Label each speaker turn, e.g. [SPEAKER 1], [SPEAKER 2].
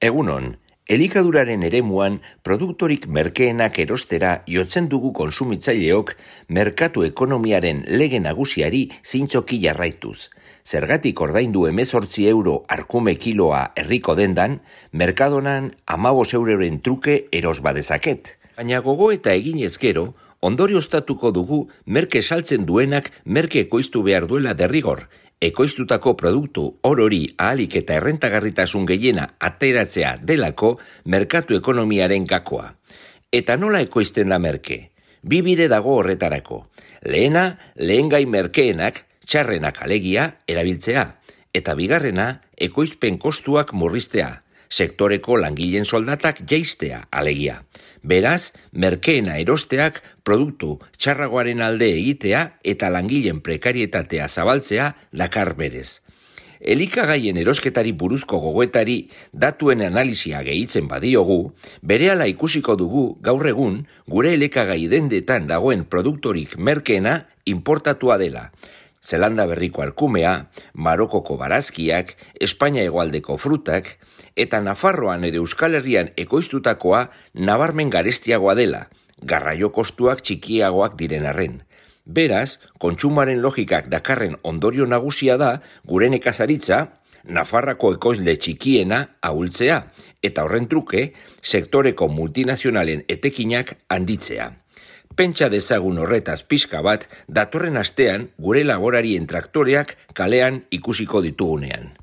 [SPEAKER 1] Egunon, elikaduraren eremuan produktorik merkeenak erostera jotzen dugu kontsumitzaileok merkatu ekonomiaren lege nagusiari zintzoki jarraituz. Zergatik ordaindu 18 euro arkume kiloa herriko dendan, merkadonan 15 euroren truke eros badezaket. Baina gogo eta eginez gero, ondorioztatuko dugu merke saltzen duenak merke ekoiztu behar duela derrigor. Ekoiztutako produktu orori ahalik eta errentagarritasun gehiena ateratzea delako merkatu ekonomiaren gakoa. Eta nola ekoizten da merke? Bi bide dago horretarako. Lehena, lehengai merkeenak, txarrenak alegia, erabiltzea. Eta bigarrena, ekoizpen kostuak murriztea. Sektoreko langileen soldatak jaistea alegia. Beraz, merkeena erosteak produktu txarragoaren alde egitea eta langileen prekarietatea zabaltzea dakar berez. Elikagaien erosketari buruzko gogoetari datuen analisia gehitzen badiogu, berehala ikusiko dugu gaur egun gure elikagai dendetan dagoen produktorik merkeena importatua dela. Zelanda berriko arkumea, Marokoko barazkiak, Espainia hegoaldeko frutak, eta Nafarroan edo Euskal Herrian ekoiztutakoa nabarmen garestiagoa dela, garraio kostuak txikiagoak diren arren. Beraz, kontsumoaren logikak dakarren ondorio nagusia da gure nekazaritza, Nafarrako ekoizle txikiena ahultzea, eta horren truke, sektoreko multinazionalen etekinak handitzea. Pentsa dezagun horretaz pixka bat, datorren astean gure laborarien traktoreak kalean ikusiko ditugunean.